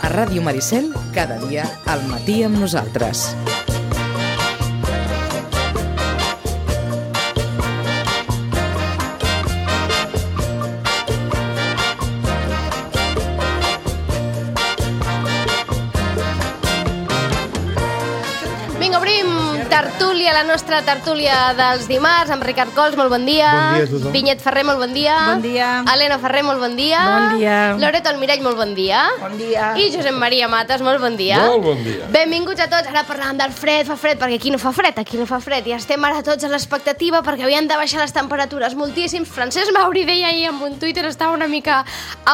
A Ràdio Maricel, cada dia al matí amb nosaltres. Vinga, obrim tertúlia, la nostra tertúlia dels dimarts, amb Ricard Cols, molt bon dia. Bon dia a tothom. Vinyet Ferrer, molt bon dia. Bon dia. Helena Ferrer, molt bon dia. Bon dia. Loreto Almirall, molt bon dia. Bon dia. I Josep Maria Matas, molt bon dia. Molt bon dia. Benvinguts a tots. Ara parlàvem del fred, fa fred, perquè aquí no fa fred, aquí no fa fred. I estem ara tots a l'expectativa perquè havien de baixar les temperatures moltíssim. Francesc Mauri deia ahir en un Twitter, estava una mica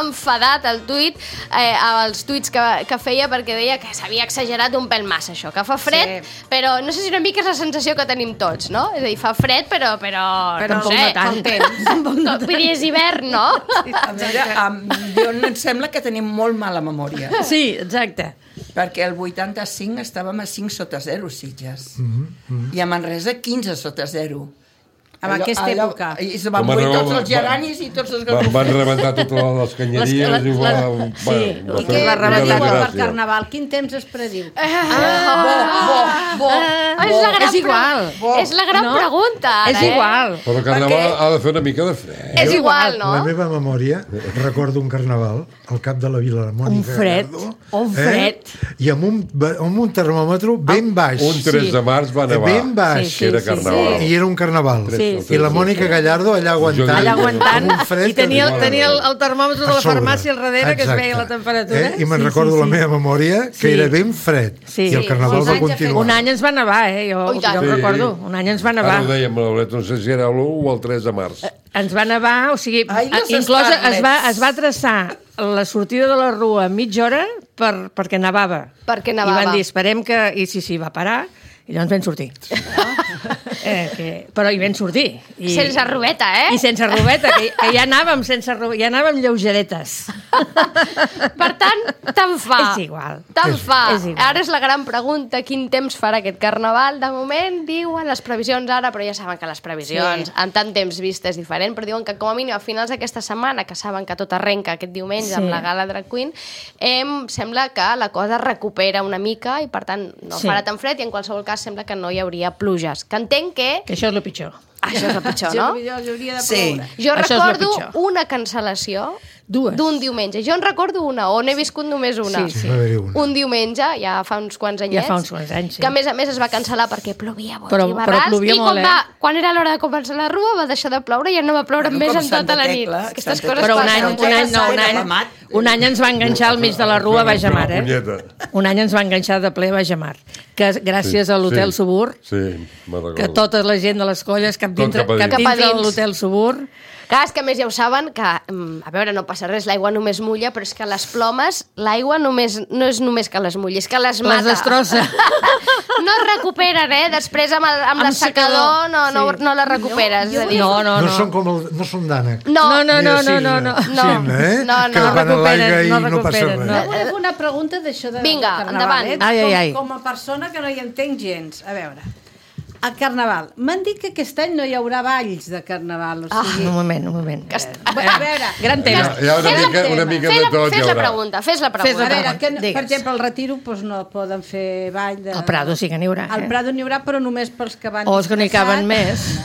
enfadat el tuit, els tuits que feia, perquè deia que s'havia exagerat un pèl massa això, que fa fred, sí. Però no sé si una mica és la sensació que tenim tots, no? És a dir, fa fred, però no sé, no tant. Vull dir, és hivern, no? A veure, em sembla que tenim molt mala memòria. Sí, exacte. Perquè el 85 estàvem a 5 sota 0, Sitges. I a Manresa 15 sota 0. En aquesta època. I se van morir tots els geranis i tots els garrofers. Van rebentar totes les canyeries i va... Sí, i què va rebentar per Carnaval? Quin temps es prediu? És igual. És la gran pregunta, ara, És igual. Però el Carnaval ha de fer una mica de fred. És igual, no? La meva memòria, recordo un Carnaval al cap de la Vila de Mònica Gallardo. Un fred. I amb un termòmetre ben baix. Un 3 de març va nevar. Ben baix. Que era Carnaval. I era un Carnaval. Sí. I la Mònica Gallardo allà aguantant. I tenia el termòmetre de la farmàcia al darrere que es veia la temperatura. I me'n recordo la meva memòria que era ben fred. I el Carnaval va continuar. Un any ens va nevar, jo ho recordo. Un any ens va nevar. Ara ho dèiem, no sé si era l'1 o el 3 de març. Ens va nevar, o sigui, inclòs es va traçar la sortida de la rua a mitja hora perquè nevava. Perquè nevava. I van dir, esperem que... I sí, va parar. I llavors vam sortir. Però hi vam sortir. Sense robeta, I sense robeta, que ja anàvem sense robeta, ja anàvem lleugeretes. Per tant, tant fa. És igual. Tant fa. Igual. Ara és la gran pregunta, quin temps farà aquest Carnaval? De moment diuen les previsions ara, però ja saben que les previsions en tant temps vist és diferent, però diuen que com a mínim a finals d'aquesta setmana, que saben que tot arrenca aquest diumenge amb la Gala Drag Queen, sembla que la cosa recupera una mica i per tant no farà tan fred i en qualsevol cas sembla que no hi hauria pluges. Que entenc que... Que això és el pitjor. Això és el pitjor, no? Sí. Jo recordo una cancel·lació d'un diumenge. Jo en recordo una, o n'he viscut només una. Sí. Un diumenge, ja fa uns quants anyets. Ja fa uns quants anys, sí. Que a més es va cancel·lar perquè plovia boig però i barrats. plovia molt, quan era l'hora de començar la rua va deixar de ploure i ja no va ploure més en tota la nit. Aquestes coses però passen. Un any ens va enganxar al mig de la rua a Baix Mar, Un any ens va enganxar de ple a Baix Mar. Que gràcies a l'Hotel Subur, que tota la gent de les colles cap dintre l'Hotel Subur. Clar, és que a més ja ho saben que, a veure, no passa res, l'aigua només mulla, però és que les plomes, l'aigua no és només que les mulli, és que les mata. Les destrossa. No es recuperen, després amb l'assecador no les recuperes. No són d'ànec. No. Que van a l'aigua i no passa res. Jo vull una pregunta d'això de Carnaval. Com a persona que no hi entenc gens. A veure, el Carnaval. M'han dit que aquest any no hi haurà balls de Carnaval. Un moment. A veure, gran tema. Hi ha una mica de tot. Fes la pregunta. A veure, per exemple, al Retiro no poden fer ball. Al Prado sí que n'hi haurà. Al Prado n'hi haurà, però només pels que van... O els que n'hi caben més.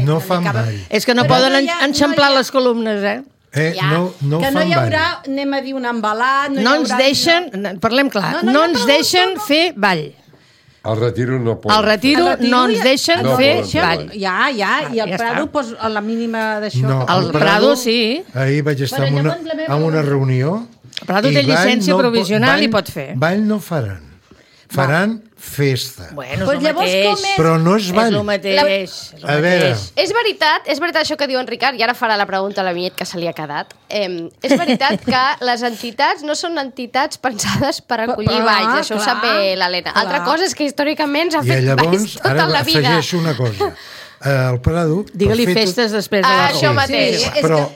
No fan ball. És que no poden enxamplar les columnes, No que no hi haurà, anem a dir, un embalat... No ens deixen, parlem clar, no ens deixen fer ball. Al Retiro no poden. Al Retiro no ens deixen fer ball. Ja, i al Prado, a la mínima d'això... No, al Prado sí. Ahir vaig estar en una reunió... El Prado té llicència provisional i pot fer. Ball no faran. Faran festa. Bueno, és el mateix. Però no és ball. És el mateix. A veure... És veritat això que diu en Ricard, i ara farà la pregunta a la Vinyet que se li ha quedat. És veritat que les entitats no són entitats pensades per acollir balls, això ho sap bé l'Helena. Altra cosa és que històricament s'ha fet balls tota la vida. I llavors, ara afegeixo una cosa. El Prado... Digue-li festes després de la Això mateix.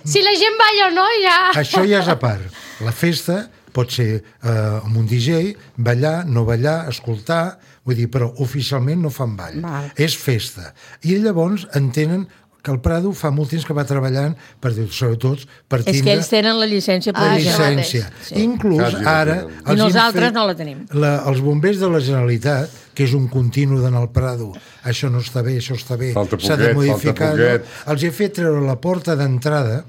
Si la gent balla o no, ja... Això ja és a part. La festa pot ser amb un DJ, ballar, no ballar, escoltar, Vull dir, però oficialment no fan ball. És festa. I llavors entenen que el Prado fa molt temps que va treballant sobretot per tindre... És que ells tenen la llicència per llicència. Inclús ara... I nosaltres no la tenim. Els bombers de la Generalitat, que és un continu d'anar al Prado, això no està bé, això està bé, s'ha de modificar... Els he fet treure la porta d'entrada,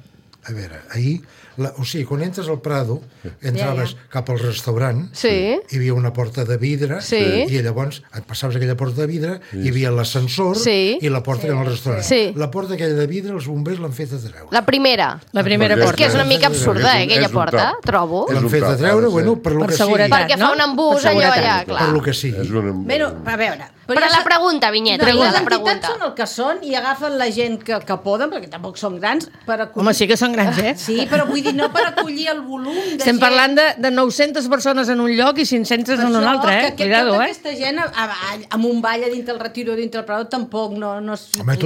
a veure, ahir... O sigui, quan entres al Prado, entraves cap al restaurant, hi havia una porta de vidre, i llavors et passaves aquella porta de vidre, hi havia l'ascensor i la porta que era al restaurant. La porta aquella de vidre, els bombers l'han fet a treure. La primera porta. És que és una mica absurda, aquella porta, trobo. L'han fet a treure, bueno, per lo que sigui. Perquè fa un embús allò allà, clar. Per lo que sigui. Bueno, a veure... Però la pregunta, Vinyeta, les entitats són el que són i agafen la gent que poden, perquè tampoc són grans, per acollir... Home, sí que són grans, Sí, però vull dir, no per acollir el volum de gent... Estem parlant de 900 persones en un lloc i 500 en un altre, Cuidado, tota aquesta gent, amb un ball a dintre el Retiro, dintre el Prado, tampoc no... Home,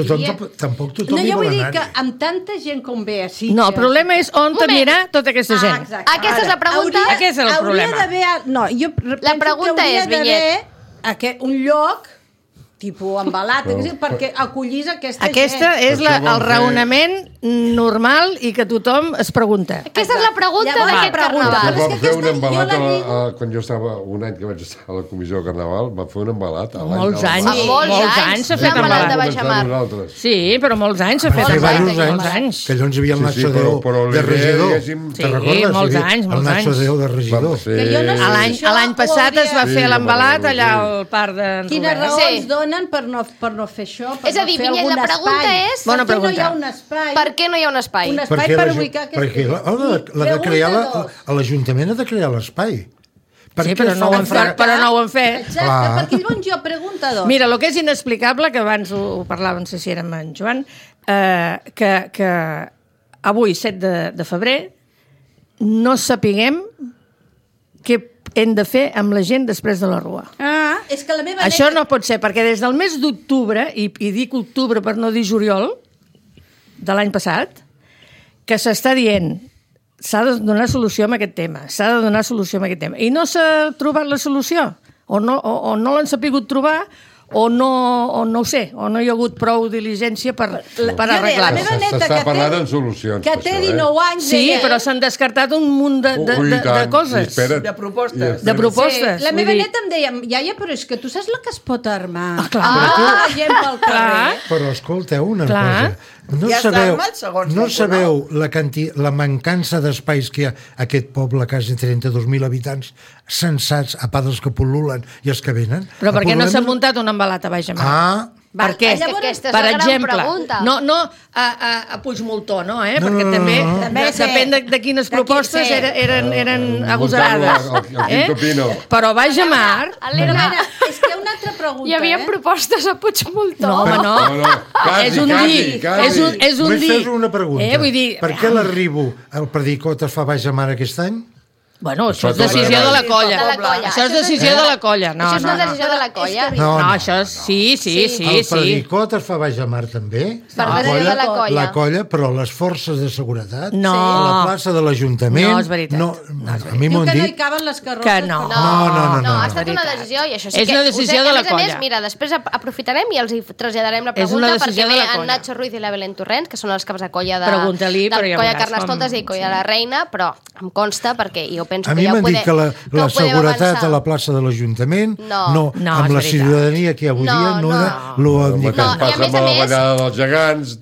tampoc tothom hi vol anar. No, jo vull dir que amb tanta gent com ve a Sitges... No, el problema és on anirà tota aquesta gent. Aquesta és la pregunta? Aquest és el problema. No, jo penso que hauria d'haver un lloc tipus embalat, perquè acollís aquesta gent. Aquesta és el raonament normal i que tothom es pregunta. Aquesta és la pregunta d'aquest carnaval. Vam fer un embalat, quan jo estava, un any que vaig estar a la comissió de carnaval, vam fer un embalat. Molts anys s'ha fet embalat. Sí, però molts anys s'ha fet embalat. Que llavors hi havia el Nacho Déu de regidor. Te'n recordes? Molts anys. El Nacho Déu de regidor. L'any passat es va fer l'embalat allà al parc de Robert. Quines raons donen per no fer això? És a dir, Vinyet, la pregunta és... Per què no hi ha un espai? Per què no hi ha un espai? Un espai per ubicar perquè l'Ajuntament ha de crear l'espai. Sí, però no ho han fet. Exacte, perquè llavors jo pregunto dos. Mira, el que és inexplicable, que abans ho parlàvem, no sé si era amb en Joan, que avui, 7 de febrer, no sapiguem què hem de fer amb la gent després de la rua. És que la meva Això no pot ser, perquè des del mes d'octubre, i dic octubre per no dir juliol, de l'any passat, que s'està dient s'ha de donar solució a aquest tema, I no s'ha trobat la solució, o no l'han sapigut trobar, o no ho sé, o no hi ha hagut prou diligència per arreglar-ho. S'està parlant en solucions. Que té 19 anys. Sí, però s'han descartat un munt de coses. De propostes. De propostes. La meva neta em deia, iaia, però és que tu saps la que es pot armar. Clar. Gent pel carrer. Però escolteu una cosa. No sabeu la mancança d'espais que hi ha a aquest poble, quasi 32.000 habitants, sensats, a part dels que pol·lulen i els que venen? Però per què no s'ha muntat un embalat a Baix Amar? Per què? Per exemple, no a Puigmoltó, no? Perquè també depèn de quines propostes eren agosarades. Però Baix Amar... És que una altra pregunta, Hi havia propostes a Puigmoltó. No, home, no. És un dir. És un dir. Fes una pregunta. Per què l'Arribo, el Predicot, es fa Baix Amar aquest any? Bueno, això és decisió de la colla. Això és decisió de la colla. Això és una decisió de la colla. No, això sí. El Predicot es fa Baix Amar també. La colla, però les forces de seguretat, a la plaça de l'Ajuntament... No, és veritat. A mi m'ho han dit... Que no hi caben les carrosses. Que no. No, ha estat una decisió i això sí que... És una decisió de la colla. A més, mira, després aprofitarem i els traslladarem la pregunta perquè ve en Nacho Ruiz i la Belén Torrents, que són els caps de colla de colla Carnestoltes i colla La Reina, però em consta perquè jo penso a mi m'han dit que la seguretat a la plaça de l'Ajuntament amb la ciutadania que avui dia no era lo indicat. Passa amb la ballada dels gegants...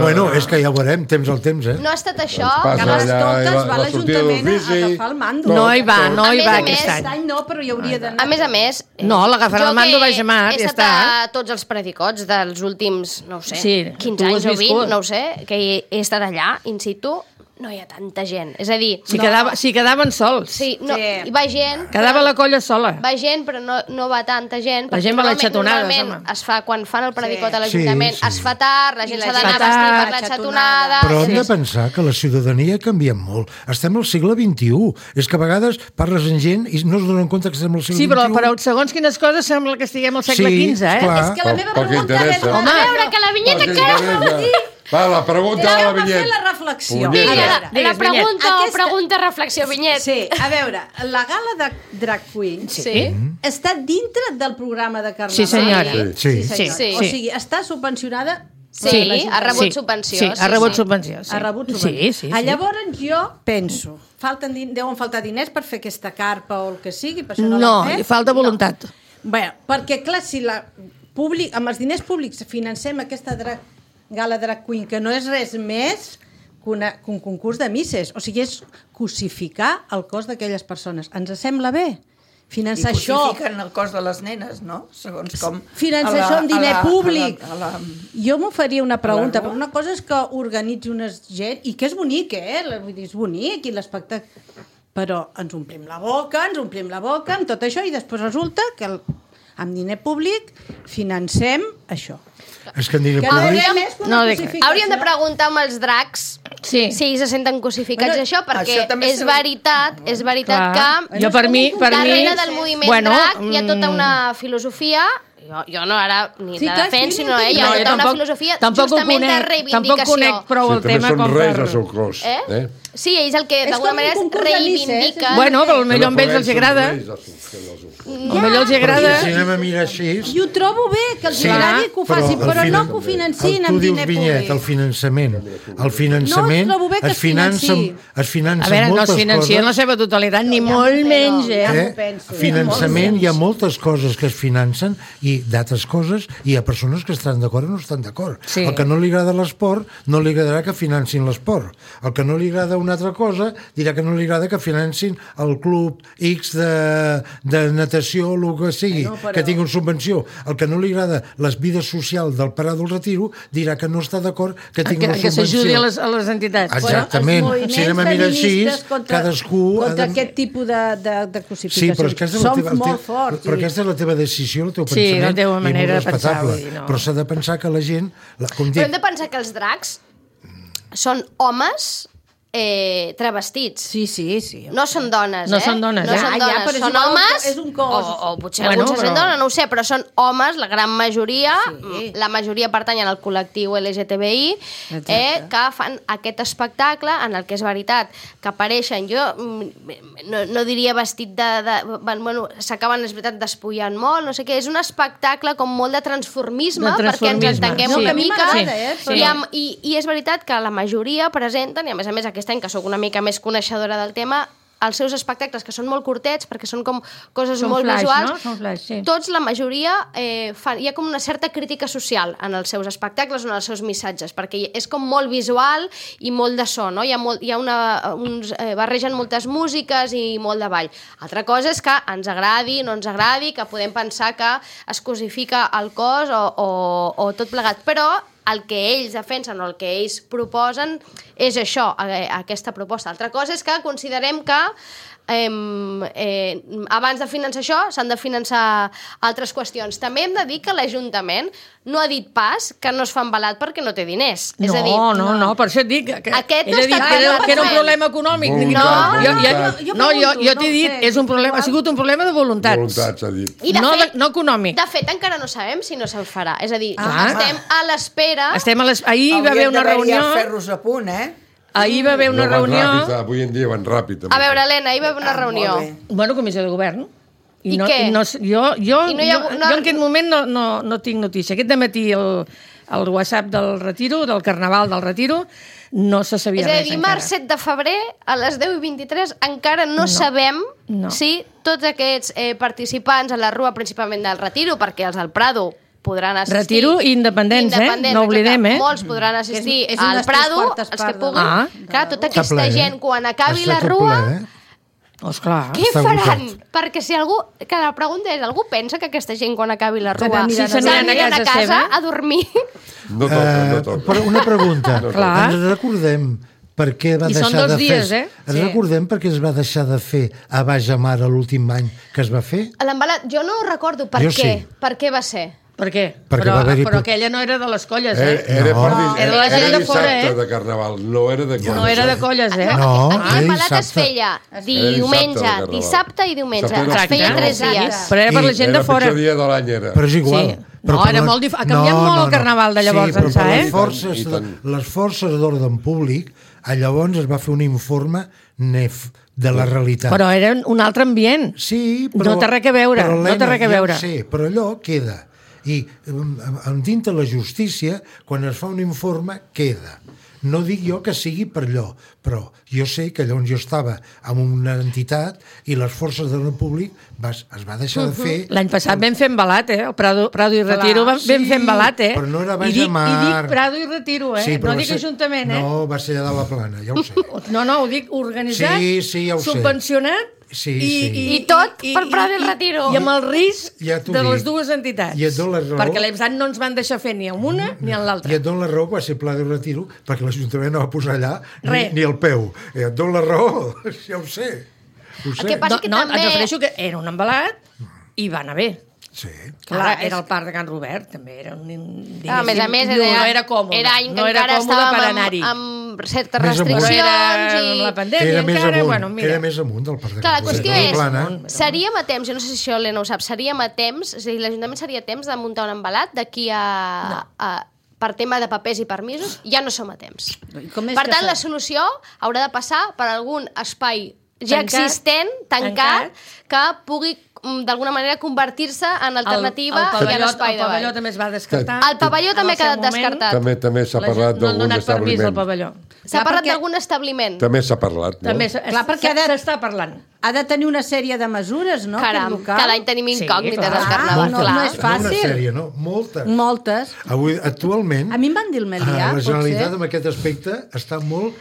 Bueno, és que ja ho veurem, temps al temps, No ha estat això. Carnestoltes va a l'Ajuntament a agafar el mando. No hi va aquest any. Aquest any no, però hi hauria d'anar. A més... No, l'agafarà el mando Baix Amar, ja està. He estat a tots els predicots dels últims, no ho sé, 15 anys o 20, no ho sé, que he estat allà, in situ... No hi ha tanta gent. És a dir... Si quedaven sols. Sí, hi va gent... Quedava la colla sola. Va gent, però no va tanta gent. La gent va a les xatonades, home. Es fa, quan fan el predicot a l'Ajuntament, es fa tard, la gent s'ha d'anar a vestir per la xatonada... Però hem de pensar que la ciutadania ha canviat molt. Estem al segle XXI. És que a vegades parles amb gent i no es donen compte que estem al segle XXI. Sí, però segons quines coses sembla que estiguem al segle XV, És que la meva pregunta és... A veure, que la Vinyeta què? Va, la pregunta de la Vinyet. La reflexió. La pregunta, reflexió, Vinyet. Sí, a veure, la gala de Drag Queens està dintre del programa de Carnaval. Sí, senyora. Sí. O sigui, està subvencionada. Sí, ha rebut subvenció. Sí, ha rebut subvenció. Ha rebut subvenció. Sí. Llavors jo penso, deuen faltar diners per fer aquesta carpa o el que sigui, per això no l'han fet? No, falta voluntat. Bé, perquè clar, si amb els diners públics financem aquesta gala Drag Queen, que no és res més que un concurs de misses, o sigui, és cosificar el cos d'aquelles persones. Ens sembla bé? Finançar això... I cosifiquen el cos de les nenes, no? Segons com... Finançar això amb diner públic. Jo m'ho faria una pregunta, però una cosa és que organitzi una gent, i que és bonic, vull dir, és bonic, i l'espectacle... Però ens omplim la boca amb tot això, i després resulta que amb diner públic financem això. És que en diner públic... Hauríem de preguntar amb els dracs si ells se senten cosificats això, perquè és veritat que darrere del moviment drac hi ha tota una filosofia. Jo no ara ni la defenso, sinó hi ha tota una filosofia justament de reivindicació. Tampoc conec prou el tema com per... També són reis al seu cos. Sí, ells el que d'alguna manera es reivindiquen. Bueno, però potser a ells els agrada. Potser els agrada. Si anem a mirar així... I ho trobo bé, que els agradi que ho facin, però no que ho financin amb diner públic. Vinyet, el finançament es finança moltes coses. A veure, no es financien la seva totalitat, ni molt menys, Finançament, hi ha moltes coses que es financen i d'altres coses hi ha persones que estan d'acord o no estan d'acord. El que no li agrada l'esport no li agradarà que financin l'esport. El que no li agrada una altra cosa dirà que no li agrada que financin el club X de natació o el que sigui, que tingui una subvenció. El que no li agrada les vides socials del Parar del Retiro dirà que no està d'acord que tingui una subvenció. Que s'ajudi a les entitats. Exactament. Si anem a mirar així, cadascú... Contra aquest tipus de cosificació. Sí, però aquesta és la teva decisió, el teu pensament. Sí, la teva manera de pensar. Però s'ha de pensar que la gent... Però hem de pensar que els dracs són homes travestits. Sí. No són dones, No són dones, són homes, o potser alguns se sent dona, no ho sé, però són homes, la gran majoria, la majoria pertanyen al col·lectiu LGTBI, que fan aquest espectacle en el que és veritat que apareixen, jo no diria vestit bueno, s'acaben, és veritat, despullant molt, no sé què, és un espectacle com molt de transformisme, perquè ens entenguem una mica, i és veritat que la majoria presenten, i a més aquest any, que sóc una mica més coneixedora del tema, els seus espectacles, que són molt curtets, perquè són com coses molt visuals, tots, la majoria, hi ha com una certa crítica social en els seus espectacles o en els seus missatges, perquè és com molt visual i molt de so, no? Barregen moltes músiques i molt de ball. Altra cosa és que ens agradi, no ens agradi, que podem pensar que es cosifica el cos o tot plegat, però el que ells defensen o el que ells proposen és això, aquesta proposta. Altra cosa és que considerem que abans de finançar això s'han de finançar altres qüestions. També hem de dir que l'Ajuntament no ha dit pas que no es fa embalat perquè no té diners. No, per això et dic que era un problema econòmic. Jo t'he dit, ha sigut un problema de voluntats. Voluntats, ha dit. No econòmic. De fet, encara no sabem si no se'n farà. És a dir, estem a l'espera... Ahir va haver una reunió... Hauríem de fer-los a punt, Ahir va haver una reunió... Avui en dia van ràpid. A veure, Helena, ahir va haver una reunió. Bueno, comissió de govern. I què? Jo en aquest moment no tinc notícia. Aquest dematí el WhatsApp del Retiro, del Carnaval del Retiro, no se sabia res encara. És a dir, dimarts 7 de febrer, a les 10:23, encara no sabem si tots aquests participants a la rua, principalment del Retiro, perquè els del Prado podran assistir. Retiro i independents, no oblidem, Molts podran assistir al Prado, els que puguin. Clar, tota aquesta gent, quan acabi la rua... Esclar. Què faran? Perquè si algú... Que la pregunta és, algú pensa que aquesta gent, quan acabi la rua, s'aniran a casa a dormir? No toca. Però una pregunta. Ens recordem per què va deixar de fer... Recordem per què es va deixar de fer a Baix Amar l'últim any que es va fer? L'embalat, jo no recordo per què. Per què va ser? Per què? Però aquella no era de les colles, Era la gent de fora, de Carnaval, no era de colles. No era de colles, Aquí el pelat es feia diumenge, dissabte i diumenge. Es feia 3 dies. Però era per la gent de fora. El pitjor dia de l'any era. Però és igual. No, era molt diferent. Ha canviat molt el Carnaval de llavors ençà, les forces d'ordre públic, llavors es va fer un informe NEF de la realitat. Però era un altre ambient. Sí, però... No té res a veure, no té res a veure. Sí, però allò queda. I dintre la justícia, quan es fa un informe, queda. No dic jo que sigui per allò, però jo sé que llavors jo estava en una entitat i les forces de l'ordre públic es va deixar de fer... L'any passat vam fer embalat, el Prado i Retiro vam fer embalat, però no era baix a mar. I dic Prado i Retiro, no dic ajuntament, No, va ser allà de la Plana, ja ho sé. No, ho dic organitzat, ja ho sé. Subvencionat, i tot per Prado i Retiro. I amb el risc de les dues entitats. I et dono la raó. Perquè l'EBSAT no ens van deixar fer ni amb una ni amb l'altra. I et dono la raó que va ser Prado i Retiro, perquè l'Ajuntament no va posar allà ni el peu. I et dono la raó, ja ho sé. El que passa que també... Et refereixo que era un embalat i va anar bé. Sí. Clar, era el parc de Can Robert, també era un... A més, no era còmode. Era any que encara estàvem amb certes restriccions i... la pandèmia encara, era més amunt del parc de Can Robert. Clar, la qüestió és, seríem a temps, jo no sé si això l'Helena ho sap, seríem a temps, és a dir, l'Ajuntament seria a temps de muntar un embalat d'aquí a per tema de papers i permisos, ja no som a temps. Per tant, la solució haurà de passar per algun espai ja existent, tancat, que pugui d'alguna manera convertir-se en alternativa i en espai de ball. El pavelló també es va descartar. El pavelló també ha quedat descartat. També s'ha parlat d'algun establiment. S'ha parlat d'algun establiment. També s'ha parlat, no? Clar, perquè s'està parlant. Ha de tenir una sèrie de mesures, no? Caram, cada any tenim incògnites al Carnaval. No és fàcil. No una sèrie, no? Moltes. Actualment... A mi em van dir el Melià, la Generalitat en aquest aspecte està molt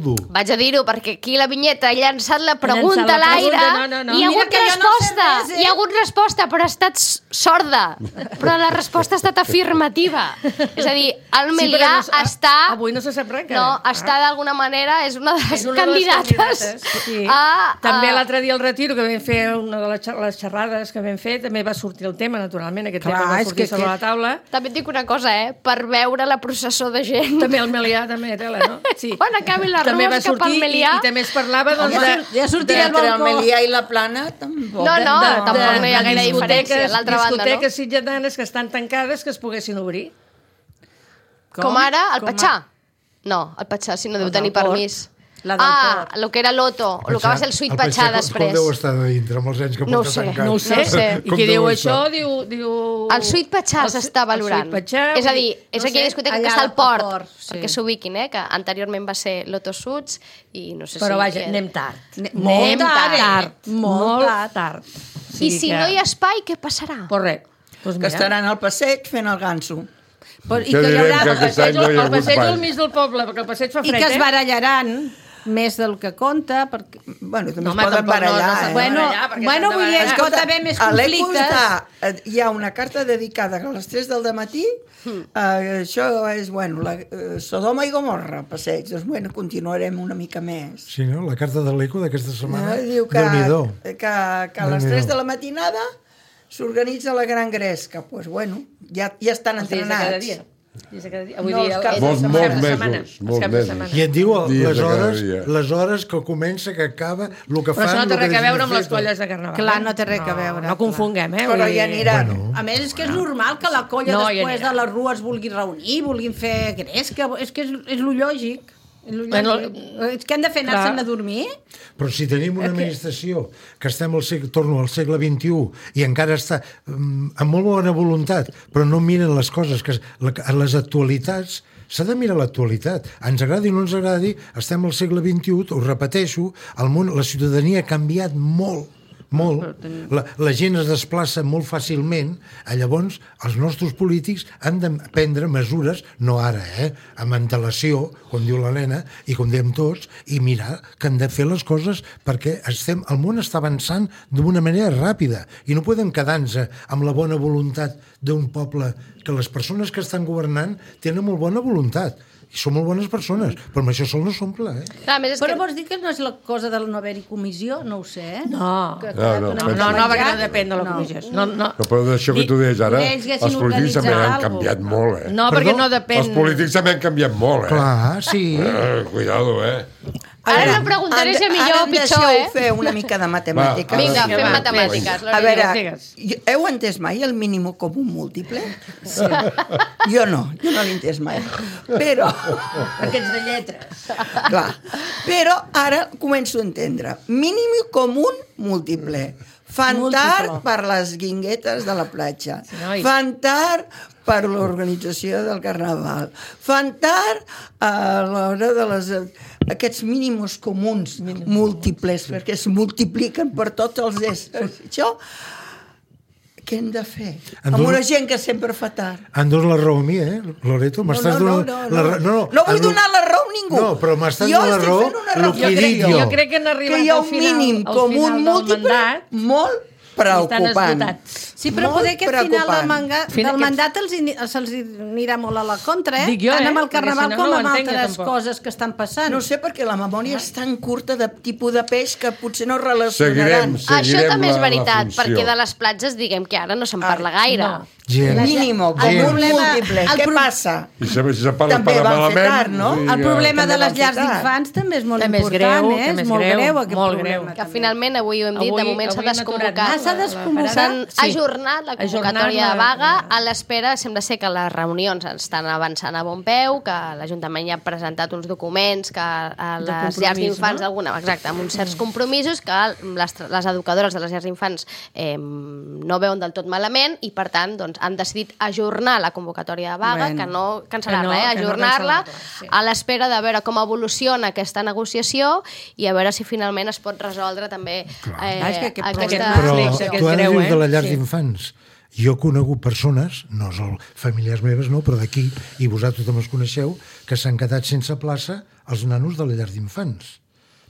dur. Vaig a dir-ho, perquè aquí la vinyeta ha llançat la pregunta a l'aire i hi ha hagut resposta. Hi ha hagut resposta, però ha estat sorda. Però la resposta ha estat afirmativa. És a dir, el Melià està... Avui no se sap res. No, està d'alguna manera, és una de les candidates. També l'altre dia al Retiro, que vam fer una de les xerrades que vam fer, també va sortir el tema, naturalment, aquest tema va sortir sobre la taula. També et dic una cosa, per veure la processó de gent. També el Melià, també, tela, no? Sí. Quan acabin les rues cap al Melià... I també es parlava ja sortirà el Melià i la Plana, tampoc. No, tampoc no hi ha gaire diferència. L'altra banda, no? Discoteques sitjatanes que estan tancades que es poguessin obrir. Com ara el Patxà. No, el Patxà, si no deu tenir permís. El que era l'Oto, el que va ser el Suite Patxà després. Com deu estar de dintre, amb els anys que porta tancat? No ho sé. I qui diu això, diu... El Suite Patxà s'està valorant. És a dir, és aquella discoteca que està al port, perquè s'ubiquin, que anteriorment va ser l'Oto Suits, i no sé si... Però vaja, anem tard. Molt tard. I si no hi ha espai, què passarà? Correcte. Que estaran al passeig fent el ganso. I que hi haurà el passeig al mig del poble, perquè el passeig fa fred, i que es barallaran més del que compta, perquè... Bueno, també es poden barallar, Bueno, vull dir, es pot haver més conflictes. Hi ha una carta dedicada a les 3 del matí, això és, Sodoma i Gomorra, passeig. Doncs, continuarem una mica més. Sí, no? La carta de l'Eco d'aquesta setmana, diu que a les 3 de la matinada s'organitza la gran gresca. Doncs, ja estan entrenats. Molts mesos. I et diu les hores que comença, que acaba, el que fan... Però això no té res a veure amb les colles de Carnaval. Clar, no té res a veure. No confonguem, Però ja aniran. A més, és que és normal que la colla després de les rues vulgui reunir, vulguin fer gresca, és que és lo lògic. És que han de fer anar-se'n a dormir? Però si tenim una administració que estem torno al segle XXI i encara està amb molt bona voluntat, però no miren les coses, que les actualitats, s'ha de mirar l'actualitat. Ens agradi o no ens agradi, estem al segle XXI, ho repeteixo, el món, la ciutadania ha canviat molt. La gent es desplaça molt fàcilment, llavors els nostres polítics han de prendre mesures, no ara, amb antelació, com diu l'Helena, i com diem tots, i mirar que han de fer les coses perquè el món està avançant d'una manera ràpida i no podem quedar-nos amb la bona voluntat d'un poble, que les persones que estan governant tenen molt bona voluntat. són molt bones persones, però amb això sol no s'omple, Però vols dir que no és la cosa de no haver-hi comissió? No ho sé, No, perquè no depèn de la comissió. No, però d'això que tu deies ara, els polítics també han canviat molt, No, perquè no depèn... Els polítics també han canviat molt, Clar, sí. Cuidado, Ara no preguntaré si millor o pitjor, Ara em fer una mica de matemàtiques. Vinga, fem matemàtiques. A veure, heu entès mai el mínim comú múltiple? Sí. Jo no l'he entès mai. Però... Perquè ets de lletres. Clar. Però ara començo a entendre. Mínim comú múltiple. Fan tard per les guinguetes de la platja. Fan tard per l'organització del carnaval. Fan tard a l'hora de aquests mínims comuns múltiples, perquè es multipliquen per tots els éssers. Això, què hem de fer? Amb una gent que sempre fa tard. Em dones la raó a mi, Loreto? No vull donar la raó a ningú. No, però m'estàs donant la raó el que he dit jo. Jo crec que han arribat al final múltiple molt preocupant. Sí, però poder que al final del mandat se'ls anirà molt a la contra, Dic jo, tant amb el carnaval com amb altres coses que estan passant. No sé, perquè la memòria és tan curta de tipus de peix que potser no relacionaran. Això també és veritat, perquè de les platges diguem que ara no se'n parla gaire. Mínimo, com un múltiple. Què passa? I si se'n parla també van fer tard, no? El problema de les llars d'infants també és molt important, és molt greu aquest problema. Que finalment, avui ho hem dit, de moment s'ha desconvocat. S'han ajornat la convocatòria de vaga a l'espera, sembla ser que les reunions estan avançant a bon peu, que l'Ajuntament ja ha presentat uns documents que a les llars d'infants amb uns certs compromisos que les educadores de les llars d'infants no veuen del tot malament i per tant han decidit ajornar la convocatòria de vaga, que no cancel·lar-la, ajornar-la a l'espera de veure com evoluciona aquesta negociació i a veure si finalment es pot resoldre també aquesta... Tu ara dius de les llars d'infants. Jo he conegut persones, no són famílies meves, no, però d'aquí, i vosaltres també els coneixeu, que s'han quedat sense plaça els nanos de les llars d'infants.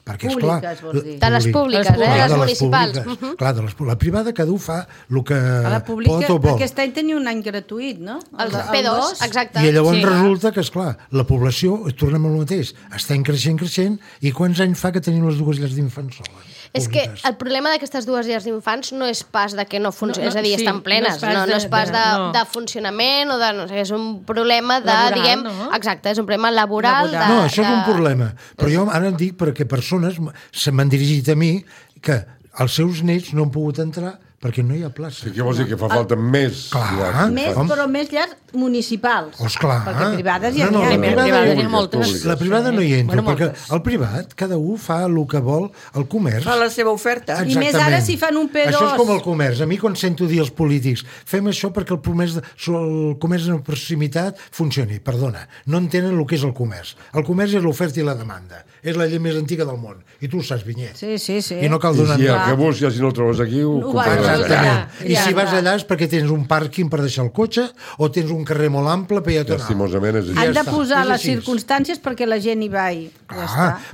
Perquè, esclar... De les públiques, les municipals. Clar, la privada cada un fa el que pot o vol. Aquest any tenia un any gratuït, no? El P2, exacte. I llavors resulta que, esclar, la població, tornem al mateix, està creixent, i quants anys fa que tenim les dues llars d'infants soles? És que el problema d'aquestes dues llars d'infants no és pas de que no funcionen, és a dir, estan plenes, no és pas de funcionament o de... És un problema de, diguem... Exacte, és un problema laboral. No, això és un problema. Però jo ara dic perquè persones se m'han dirigit a mi que els seus nets no han pogut entrar perquè no hi ha plaça. Què vols dir? Que fa falta més llars? Però més llars municipals. Clar. Perquè privades ja n'hi ha moltes. La privada no hi entra, perquè el privat, cada un fa el que vol, el comerç. Fa la seva oferta. Exactament. I més ara si fan un P2. Això és com el comerç. A mi quan sento dir als polítics fem això perquè el comerç de proximitat funcioni. Perdona, no entenen el que és el comerç. El comerç és l'oferta i la demanda. És la llei més antiga del món. I tu ho saps, Vinyet. Sí. I no cal donar... I el que busques, si no el trobes aquí, ho compraràs. Exactament. I si vas allà és perquè tens un pàrquing per deixar el cotxe o tens un carrer molt ample peatonal. Lastimosament és així. Han de posar les circumstàncies perquè la gent hi vagi.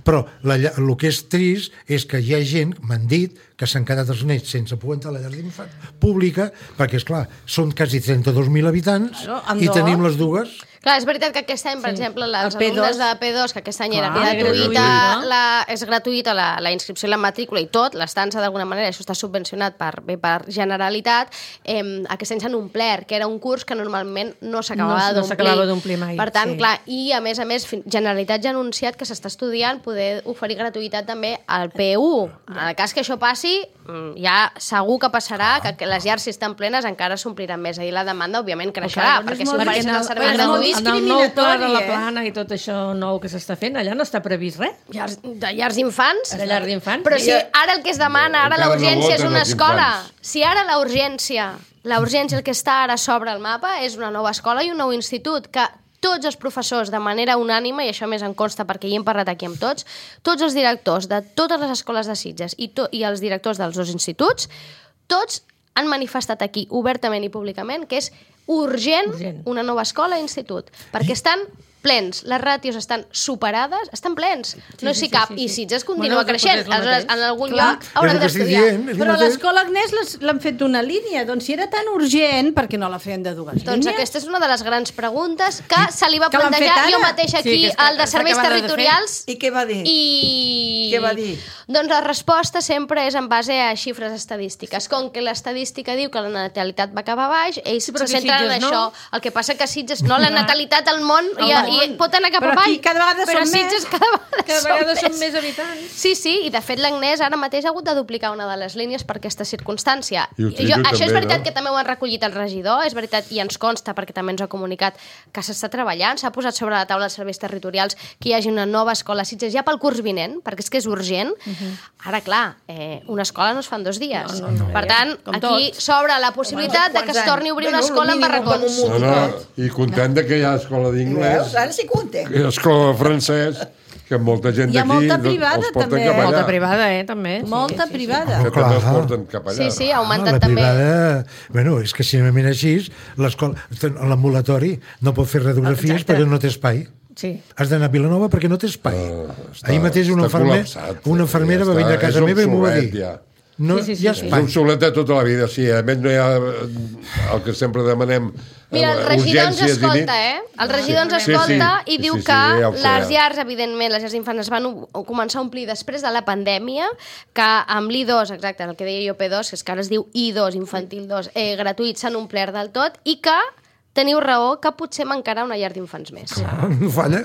Però el que és trist és que hi ha gent, m'han dit, que s'han quedat els nets sense poder entrar a la llar d'infants pública, perquè, esclar, són quasi 32.000 habitants i tenim les dues. Clar, és veritat que aquest any, per exemple, els alumnes de P2, que aquest any era gratuïta, és gratuïta la inscripció i la matrícula i tot, l'estança d'alguna manera, això està subvencionat per Generalitat, aquest any s'han omplert, que era un curs que normalment no s'acabava d'omplir mai. Per tant, clar, i a més, Generalitat ja ha anunciat que s'està estudiant poder oferir gratuïtat també al P1. En el cas que això passi, ja segur que passarà que les llars, si estan plenes, encara s'ompliran més. Ahir la demanda, òbviament, creixerà, perquè si ofereixen els serveis gratuïts... En el nou pla de la plana i tot això nou que s'està fent, allà no està previst res? De llars d'infants? De llars d'infants? Però si ara el que es demana, ara la urgència és una escola. Si ara la urgència el que està ara sobre el mapa és una nova escola i un nou institut, que tots els professors, de manera unànime, i això més em consta perquè hi hem parlat aquí amb tots els directors de totes les escoles de Sitges i els directors dels dos instituts, tots han manifestat aquí obertament i públicament que és urgent una nova escola i institut, perquè estan plens. Les ràtios estan superades, estan plens. No s'hi cap. I Sitges continua creixent. Aleshores, en algun lloc hauran d'estudiar. Però l'escola Agnès l'han fet d'una línia. Doncs si era tan urgent, per què no la feien de dues línies? Doncs aquesta és una de les grans preguntes que se li va plantejar jo mateix aquí al de Serveis Territorials. I què va dir? Què va dir? Doncs la resposta sempre és en base a xifres estadístiques. Com que l'estadística diu que la natalitat va cap a baix, ells se centren en això. El que passa que Sitges, no, la natalitat al món pot anar cap avall. Cada vegada però són Sitges més. cada vegada són més habitants. Sí, i de fet l'Agnès ara mateix ha hagut de duplicar una de les línies per aquesta circumstància. Això és veritat que també ho han recollit el regidor, és veritat, i ens consta, perquè també ens ha comunicat que s'està treballant, s'ha posat sobre la taula dels serveis territorials que hi hagi una nova escola a Sitges ja pel curs vinent, perquè és que és urgent. Ara, clar, una escola no es fa en 2 dies. Per tant, aquí s'obre la possibilitat de que es torni a obrir una escola en barracons. I content que hi ha escola d'inglès, Ara sí content. escola de francès, que molta gent d'aquí els porten cap allà. Molta privada, també. Molta privada. Que també els porten cap allà. Sí, ha augmentat també. La privada, bueno, és que si anem així, l'ambulatori no pot fer radiografies perquè no té espai. Sí. Has d'anar a Vilanova perquè no té espai. Ahir mateix una infermera va venir a casa meva i m'ho va dir. No hi ha espai. És obsolet de tota la vida, sí. A més, no hi ha el que sempre demanem. Mira, el regidor ens escolta, El regidor ens escolta i diu que les llars, evidentment, les llars d'infants es van començar a omplir després de la pandèmia, que amb l'I2, exacte, el que deia jo P2, que és que ara es diu I2, infantil 2, gratuït, s'han omplert del tot, i que teniu raó que potser mancarà una llar d'infants més. Clar, no falla.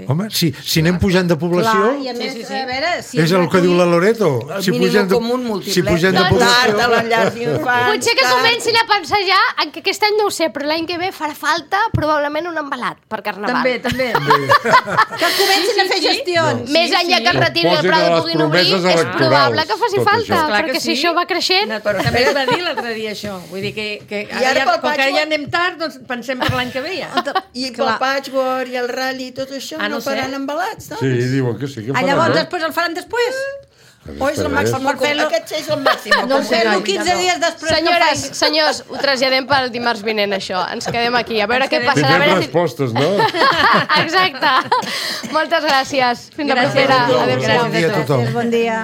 Home, si anem pujant de població... Clar, i a més, a veure... És el que diu la Loreto. El mínim comú múltiple. Si pugem de població... Potser que comencin a pensar ja en que aquest any no ho sé, però l'any que ve farà falta probablement un embalat per Carnaval. També. Que comencin a fer gestions. Més enllà que el Retir i el Prado puguin obrir, és probable que faci falta, perquè si això va creixent... Però també es va dir l'altre dia això. Vull dir que com que ja anem tard, doncs pensem per l'any que ve ja. I pel patchwork i el rally i tot això no faran embalats, doncs? Sí, diuen que sí. Llavors després el faran després? O és el màxim? Aquest és el màxim. No sé, 15 dies després. Senyores, senyors, ho traslladem pel dimarts vinent, això. Ens quedem aquí, a veure què passarà. Tindrem respostes, no? Exacte. Moltes gràcies. Fins la propera. Adéu-siau. Bon dia a tothom. Bon dia.